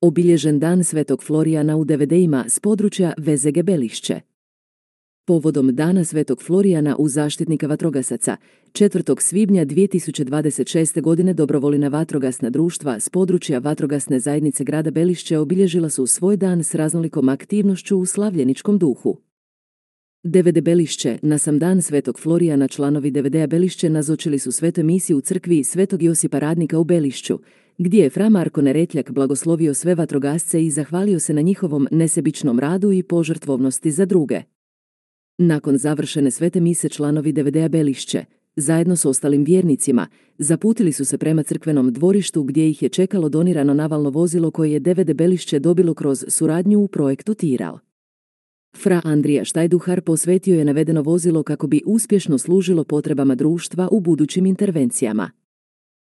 obilježen dan Svetog Florijana u DVD-ima s područja VZG Belišće. Povodom Dana Svetog Florijana u zaštitnika vatrogasaca, 4. svibnja 2026. godine dobrovoljna vatrogasna društva s područja vatrogasne zajednice grada Belišće obilježila su svoj dan s raznolikom aktivnošću u slavljeničkom duhu. DVD Belišće, na sam dan Svetog Florijana članovi DVD-a Belišće nazočili su svetoj misiji u crkvi Svetog Josipa Radnika u Belišću, gdje je fra Marko Neretljak blagoslovio sve vatrogasce i zahvalio se na njihovom nesebičnom radu i požrtvovnosti za druge. Nakon završene svete mise članovi DVD-a Belišće, zajedno s ostalim vjernicima, zaputili su se prema crkvenom dvorištu gdje ih je čekalo donirano navalno vozilo koje je DVD Belišće dobilo kroz suradnju u projektu Tiral. Fra Andrija Štajduhar posvetio je navedeno vozilo kako bi uspješno služilo potrebama društva u budućim intervencijama.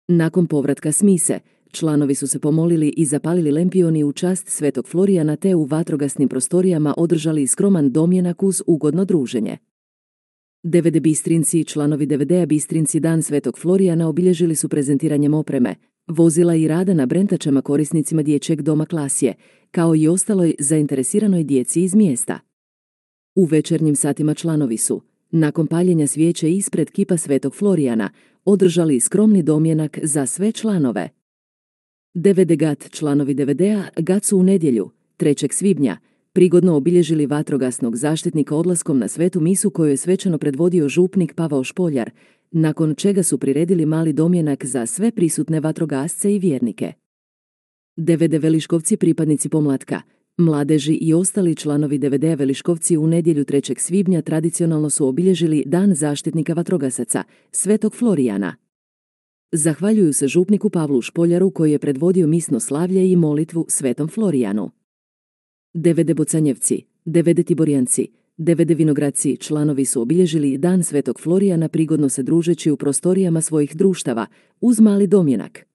Nakon povratka s mise, članovi su se pomolili i zapalili lempioni u čast Svetog Florijana te u vatrogasnim prostorijama održali skroman domjenak uz ugodno druženje. DVD Bistrinci i članovi DVD-a Bistrinci Dan Svetog Florijana obilježili su prezentiranjem opreme, vozila i rada na brentačama korisnicima dječjeg doma Klasje, kao i ostaloj zainteresiranoj djeci iz mjesta. U večernjim satima članovi su, nakon paljenja svijeće ispred kipa Svetog Florijana, održali skromni domjenak za sve članove. DVD GAT članovi DVD-a GAT su u nedjelju, 3. svibnja, prigodno obilježili vatrogasnog zaštitnika odlaskom na svetu misu koju je svečano predvodio župnik Pavao Špoljar, nakon čega su priredili mali domjenak za sve prisutne vatrogasce i vjernike. DVD Veliškovci pripadnici pomlatka, mladeži i ostali članovi DVD-a Veliškovci u nedjelju 3. svibnja tradicionalno su obilježili Dan zaštitnika vatrogasaca, Svetog Florijana. Zahvaljuju se župniku Pavlu Špoljaru koji je predvodio misno slavlje i molitvu Svetom Florijanu. DVD Bocanjevci, DVD Tiborjanci, DVD Vinogradci članovi su obilježili Dan Svetog Florijana prigodno se družeći u prostorijama svojih društava uz mali domjenak.